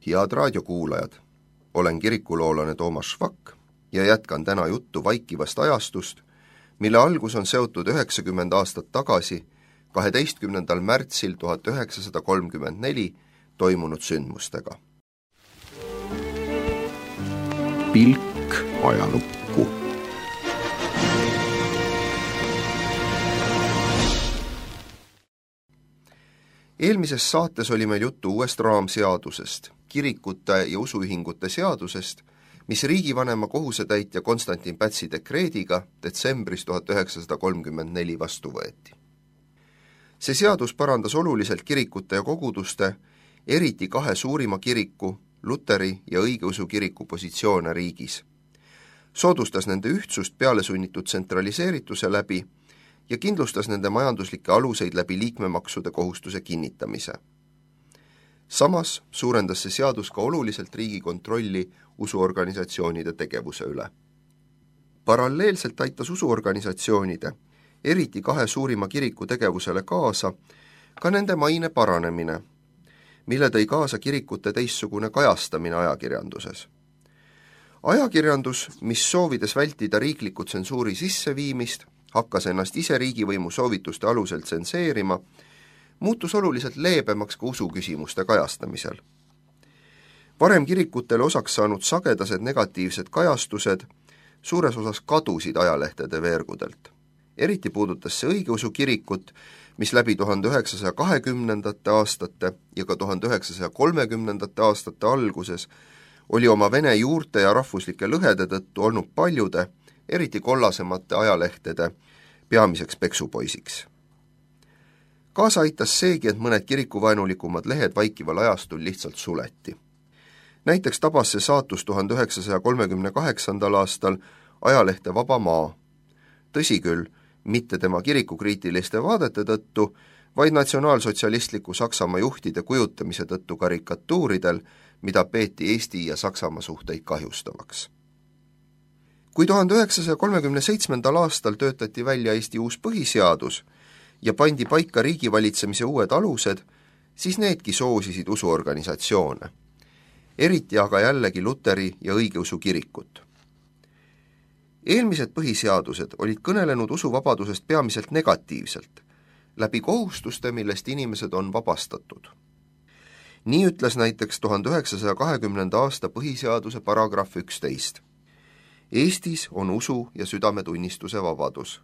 Head raadiokuulajad, olen kirikuloolane Toomas Švak ja jätkan täna juttu vaikivast ajastust, mille algus on seotud 90 aastat tagasi, 12. märtsil 1934 toimunud sündmustega. Pilk ajalukku. Eelmises saates oli meil juttu uuest raamseadusest, kirikute ja usuühingute seadusest, mis riigivanema kohusetäitja Konstantin Pätsi dekreediga detsembris 1934 vastu võeti. See seadus parandas oluliselt kirikute ja koguduste, eriti kahe suurima kiriku, Luteri ja õigeusu kiriku positsioone riigis. Soodustas nende ühtsust pealesunnitud tsentraliseerituse läbi ja kindlustas nende majanduslikke aluseid läbi liikmemaksude kohustuse kinnitamise. Samas suurendas see seadus ka oluliselt riigi kontrolli usuorganisatsioonide tegevuse üle. Paralleelselt aitas usuorganisatsioonide, eriti kahe suurima kiriku tegevusele kaasa, ka nende maine paranemine, mille tõi kaasa kirikute teistsugune kajastamine ajakirjanduses. Ajakirjandus, mis soovides vältida riikliku tsensuuri sisseviimist, hakkas ennast ise riigivõimu soovituste alusel tsenseerima, muutus oluliselt leebemaks ka usuküsimuste kajastamisel. Varem kirikutele osaks saanud sagedased negatiivsed kajastused suures osas kadusid ajalehtede veergudelt. Eriti puudutas see õigeusu kirikut, mis läbi 1920. aastate ja ka 1930. aastate alguses oli oma vene juurte ja rahvuslike lõhede tõttu olnud paljude, eriti kollasemate ajalehtede peamiseks peksupoisiks. Kaasa aitas seegi, et mõned kirikuvaenulikumad lehed vaikival ajastul lihtsalt suleti. Näiteks tabas see saatus 1938. aastal ajalehte Vaba Maa. Tõsi küll, mitte tema kirikukriitiliste vaadete tõttu, vaid natsionaalsotsialistliku Saksamaa juhtide kujutamise tõttu karikatuuridel, mida peeti Eesti ja Saksamaa suhteid kahjustavaks. Kui 1937. aastal töötati välja Eesti uus põhiseadus ja pandi paika riigivalitsemise uued alused, siis needki soosisid usuorganisatsioone, eriti aga jällegi Luteri ja õigeusu kirikut. Eelmised põhiseadused olid kõnelenud usuvabadusest peamiselt negatiivselt, läbi kohustuste, millest inimesed on vabastatud. Nii ütles näiteks 1920. aasta põhiseaduse paragrahv 11. Eestis on usu- ja südametunnistuse vabadus.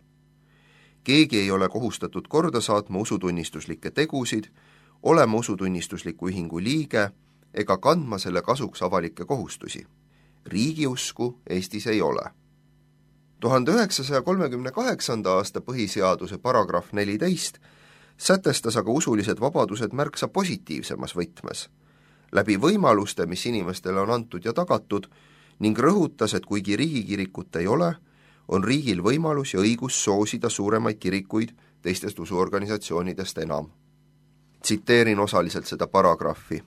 Keegi ei ole kohustatud korda saatma usutunnistuslikke tegusid, olema usutunnistusliku ühingu liige ega kandma selle kasuks avalikke kohustusi. Riigiusku Eestis ei ole. 1938. aasta põhiseaduse paragrahv 14 sätestas aga usulised vabadused märksa positiivsemas võtmes, läbi võimaluste, mis inimestele on antud ja tagatud, ning rõhutas, et kuigi riigikirikut ei ole, on riigil võimalus ja õigus soosida suuremaid kirikuid teistest usuorganisatsioonidest enam. Tsiteerin osaliselt seda paragrahvi.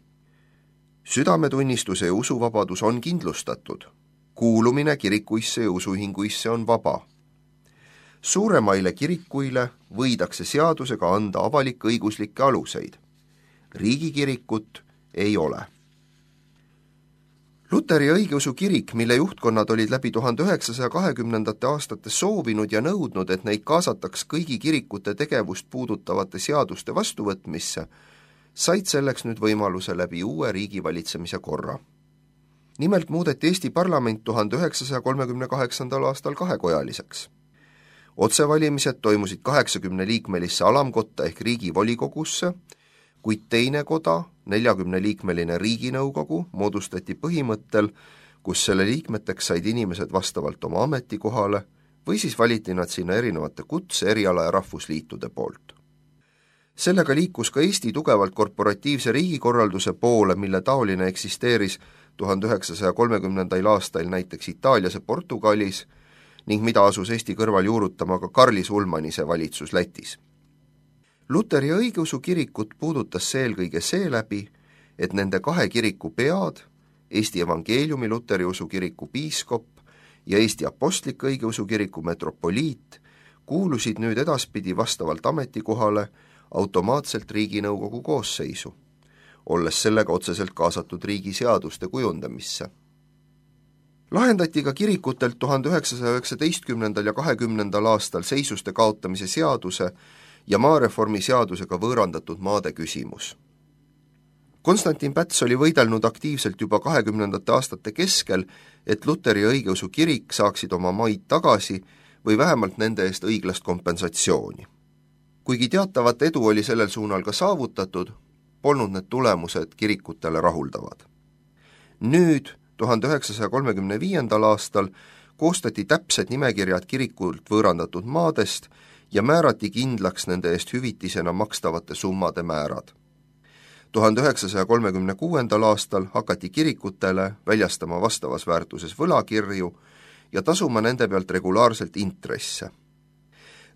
Südametunnistuse ja usuvabadus on kindlustatud. Kuulumine kirikuisse ja usuühinguisse on vaba. Suuremaile kirikuile võidakse seadusega anda avalik-õiguslikke aluseid. Riigikirikut ei ole. Luteri ja õigeusu kirik, mille juhtkonnad olid läbi 1920. aastate soovinud ja nõudnud, et neid kaasataks kõigi kirikute tegevust puudutavate seaduste vastuvõtmisse, said selleks nüüd võimaluse läbi uue riigivalitsemise korra. Nimelt muudeti Eesti parlament 1938. aastal kahekojaliseks. Otsevalimised toimusid 80-liikmelisse alamkotta ehk riigivolikogusse, kuid teine koda, 40-liikmeline riiginõukogu, moodustati põhimõttel, kus selle liikmeteks said inimesed vastavalt oma ametikohale või siis valiti nad sinna erinevate kutse, eriala ja rahvusliitude poolt. Sellega liikus ka Eesti tugevalt korporatiivse riigikorralduse poole, mille taoline eksisteeris 1930. aastail näiteks Itaalias ja Portugalis ning mida asus Eesti kõrval juurutama ka Karlis Ulmanise valitsus Lätis. Luteri ja õigeusu kirikut puudutas see eelkõige seeläbi, et nende kahe kiriku pead, Eesti evangeeliumi luteriusu kiriku piiskop ja Eesti apostlik õigeusu kiriku metropoliit, kuulusid nüüd edaspidi vastavalt ametikohale automaatselt riiginõukogu koosseisu. olles sellega otseselt kaasatud riigi seaduste kujundamisse. Lahendati ka kirikutelt 1919. ja 20. aastal seisuste kaotamise seaduse ja maareformi seadusega võõrandatud maade küsimus. Konstantin Päts oli võidelnud aktiivselt juba 20. aastate keskel, et Luteri õigeusu kirik saaksid oma maid tagasi või vähemalt nende eest õiglast kompensatsiooni. Kuigi teatavat edu oli sellel suunal ka saavutatud, polnud need tulemused kirikutele rahuldavad. Nüüd, 1935. aastal, koostati täpsed nimekirjad kirikult võõrandatud maadest ja määrati kindlaks nende eest hüvitisena makstavate summade määrad. 1936. aastal hakati kirikutele väljastama vastavas väärtuses võlakirju ja tasuma nende pealt regulaarselt intresse.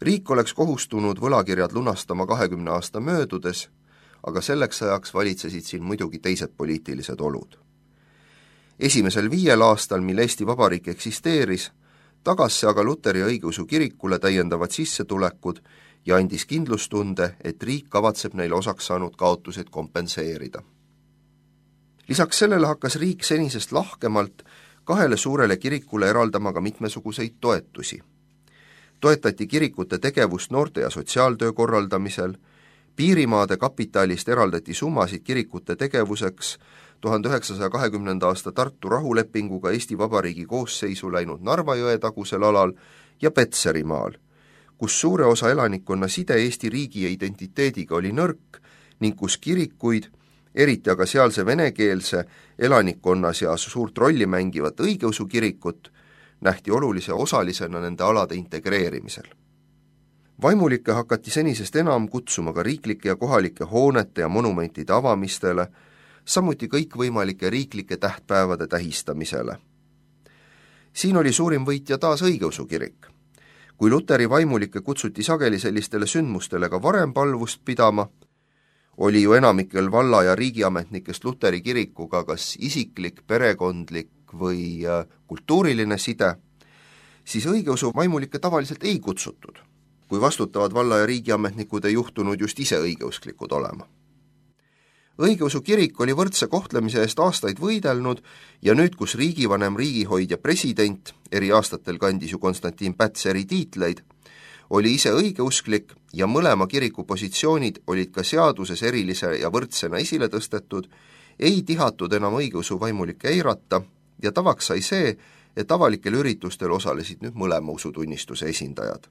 Riik oleks kohustunud võlakirjad lunastama 20 aasta möödudes, aga selleks ajaks valitsesid siin muidugi teised poliitilised olud. Esimesel 5 aastal, mil Eesti Vabariik eksisteeris, tagas see aga Luteri õigeusu kirikule täiendavad sissetulekud ja andis kindlustunde, et riik kavatseb neile osaks saanud kaotused kompenseerida. Lisaks sellele hakkas riik senisest lahkemalt 2 suurele kirikule eraldama ka mitmesuguseid toetusi. Toetati kirikute tegevust noorte ja sotsiaaltöö korraldamisel, piirimaade kapitalist eraldati summasid kirikute tegevuseks 1920. aasta Tartu rahulepinguga Eesti Vabariigi koosseisu läinud Narva jõe tagusel alal ja Petserimaal, kus suure osa elanikkonna side Eesti riigi ja identiteediga oli nõrk ning kus kirikuid, eriti aga sealse venekeelse elanikkonna seas suurt rolli mängivat õigeusu kirikut, nähti olulise osalisena nende alade integreerimisel. Vaimulikke hakati senisest enam kutsuma ka riiklike ja kohalike hoonete ja monumentide avamistele, samuti kõikvõimalike riiklike tähtpäevade tähistamisele. Siin oli suurim võitja taas õigeusu kirik. Kui Luteri vaimulikke kutsuti sageli sellistele sündmustele ka varem palvust pidama, oli ju enamikel valla- ja riigiametnikest Luteri kirikuga kas isiklik, perekondlik või kultuuriline side, siis õigeusu vaimulikke tavaliselt ei kutsutud, kui vastutavad valla- ja riigiametnikud ei juhtunud just ise õigeusklikud olema. Õigeusu kirik oli võrdse kohtlemise eest aastaid võidelnud ja nüüd, kus riigivanem, riigihoidja, president, eri aastatel kandis ju Konstantin Päts eri tiitleid, oli ise õigeusklik ja mõlema kiriku positsioonid olid ka seaduses erilise ja võrdsena esile tõstetud, ei tihatud enam õigeusu vaimulikke eirata ja tavaks sai see, et avalikel üritustel osalesid nüüd mõlema usutunnistuse esindajad.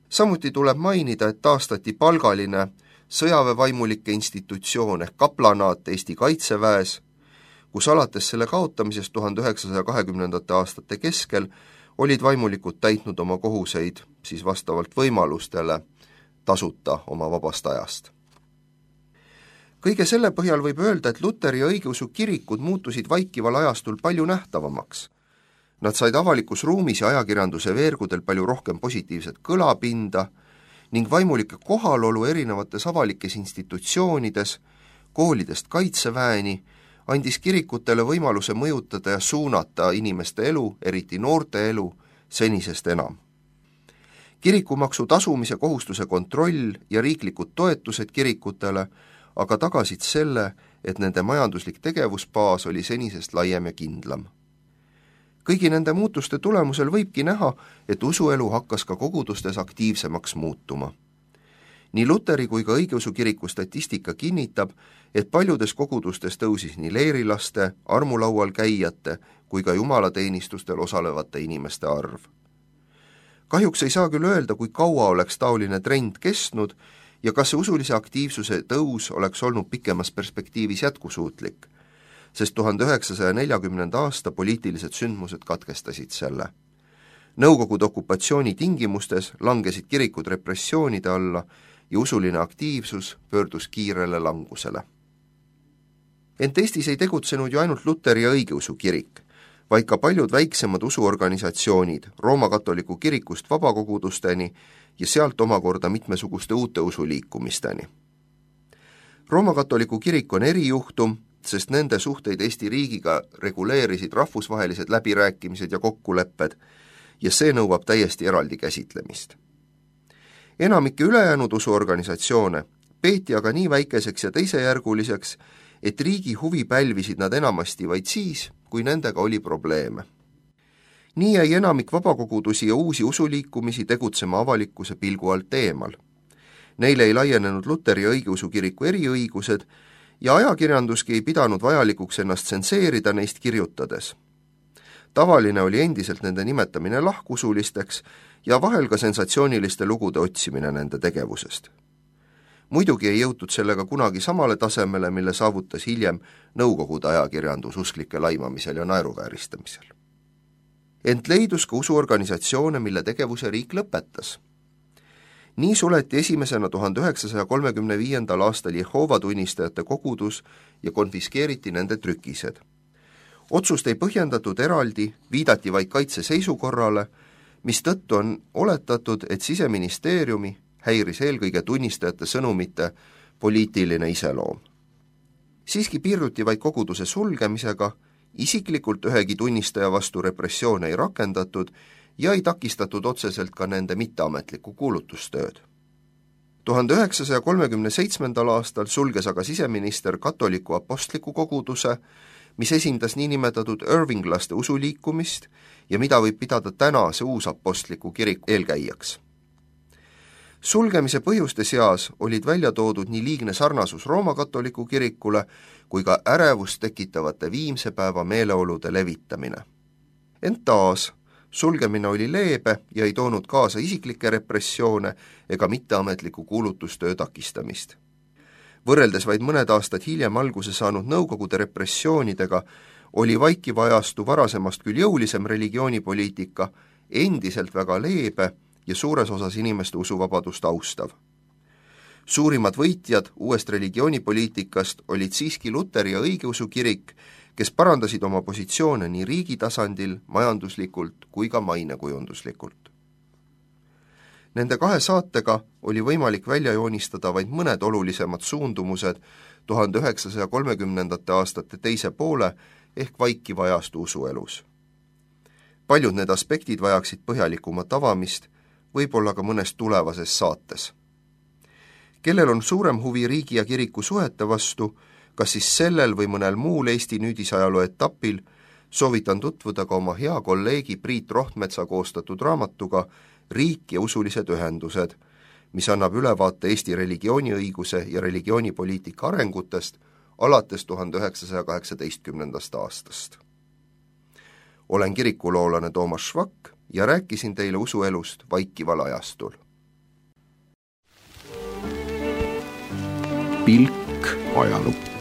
Samuti tuleb mainida, et taastati palgaline sõjaväevaimulike institutsioon ehk kaplanaat Eesti Kaitseväes, kus alates selle kaotamisest 1920. aastate keskel olid vaimulikud täitnud oma kohuseid siis vastavalt võimalustele tasuta oma vabast ajast. Kõige selle põhjal võib öelda, et Luteri ja õigeusu kirikud muutusid vaikival ajastul palju nähtavamaks. Nad said avalikus ruumis ja ajakirjanduse veergudel palju rohkem positiivset kõlapinda ning vaimulike kohalolu erinevates avalikes institutsioonides, koolidest kaitseväeni, andis kirikutele võimaluse mõjutada ja suunata inimeste elu, eriti noorte elu, senisest enam. Kirikumaksu tasumise kohustuse kontroll ja riiklikud toetused kirikutele aga tagasid selle, et nende majanduslik tegevusbaas oli senisest laiem ja kindlam. Kõigi nende muutuste tulemusel võibki näha, et usuelu hakkas ka kogudustes aktiivsemaks muutuma. Nii Luteri kui ka õigeusu kiriku statistika kinnitab, et paljudes kogudustes tõusis nii leerilaste, armulaual käijate kui ka jumalateenistustel osalevate inimeste arv. Kahjuks ei saa küll öelda, kui kaua oleks taoline trend kestnud ja kas see usulise aktiivsuse tõus oleks olnud pikemas perspektiivis jätkusuutlik, sest 1940. aasta poliitilised sündmused katkestasid selle. Nõukogude okupatsiooni tingimustes langesid kirikud repressioonide alla ja usuline aktiivsus pöördus kiirele langusele. Ent Eestis ei tegutsenud ju ainult Luteri ja õigeusu kirik, vaid ka paljud väiksemad usuorganisatsioonid Rooma katoliku kirikust vabakogudusteni ja sealt omakorda mitmesuguste uute usuliikumisteni. Rooma katoliku kirik on erijuhtum, sest nende suhteid Eesti riigiga reguleerisid rahvusvahelised läbirääkimised ja kokkulepped ja see nõuab täiesti eraldi käsitlemist. Enamike ülejäänud usuorganisatsioone, peeti aga nii väikeseks ja teisejärguliseks, et riigi huvi pälvisid nad enamasti vaid siis, kui nendega oli probleeme. Nii jäi enamik vabakogudusi ja uusi usuliikumisi tegutsema avalikkuse pilgu alt eemal. Neile ei laienenud Luteri õigeusu kiriku eriõigused ja ajakirjanduski ei pidanud vajalikuks ennast tsenseerida neist kirjutades. Tavaline oli endiselt nende nimetamine lahkusulisteks ja vahel ka sensatsiooniliste lugude otsimine nende tegevusest. Muidugi ei jõutud sellega kunagi samale tasemele, mille saavutas hiljem nõukogude ajakirjandus usklike laimamisel ja naeruvääristamisel. Ent leidus ka usuorganisatsioone, mille tegevuse riik lõpetas. Nii suleti esimesena 1935. aastal Jehoova tunnistajate kogudus ja konfiskeeriti nende trükised. Otsust ei põhjendatud eraldi, viidati vaid kaitseseisukorrale, mistõttu on oletatud, et Siseministeeriumi häiris eelkõige tunnistajate sõnumite poliitiline iseloom. Siiski piirduti vaid koguduse sulgemisega, isiklikult ühegi tunnistaja vastu repressioone ei rakendatud ja ei takistatud otseselt ka nende mitteametlikku kuulutustööd. 1937. aastal sulges aga siseminister katoliku apostliku koguduse, mis esindas niinimetatud Irvinglaste usuliikumist ja mida võib pidada tänase uusapostliku kiriku eelkäijaks. Sulgemise põhjuste seas olid välja toodud nii liigne sarnasus Rooma katoliku kirikule kui ka ärevust tekitavate viimse päeva meeleolude levitamine. Ent taas, sulgemine oli leebe ja ei toonud kaasa isiklikke repressioone ega mitteametliku kuulutustöö takistamist. Võrreldes vaid mõned aastad hiljem alguse saanud nõukogude repressioonidega oli vaikiva ajastu varasemast küll jõulisem religioonipoliitika endiselt väga leebe ja suures osas inimeste usuvabadust austav. Suurimad võitjad uuest religioonipoliitikast olid siiski Luteri ja õigeusu kirik, kes parandasid oma positsioone nii riigi tasandil, majanduslikult kui ka mainekujunduslikult. Nende kahe saatega oli võimalik välja joonistada vaid mõned olulisemad suundumused 1930. aastate teise poole ehk vaikiva ajastu usuelus. Paljud need aspektid vajaksid põhjalikumat avamist, võib-olla ka mõnes tulevases saates. Kellel on suurem huvi riigi ja kiriku suhete vastu, kas siis sellel või mõnel muul Eesti nüüdisajaloo etapil, soovitan tutvuda ka oma hea kolleegi Priit Rohtmetsa koostatud raamatuga Riik ja usulised ühendused, mis annab ülevaate Eesti religiooniõiguse ja religioonipoliitika arengutest alates 1918. aastast. Olen kirikuloolane Toomas Švak ja rääkisin teile usuelust vaikival ajastul. Pilk ajalukku.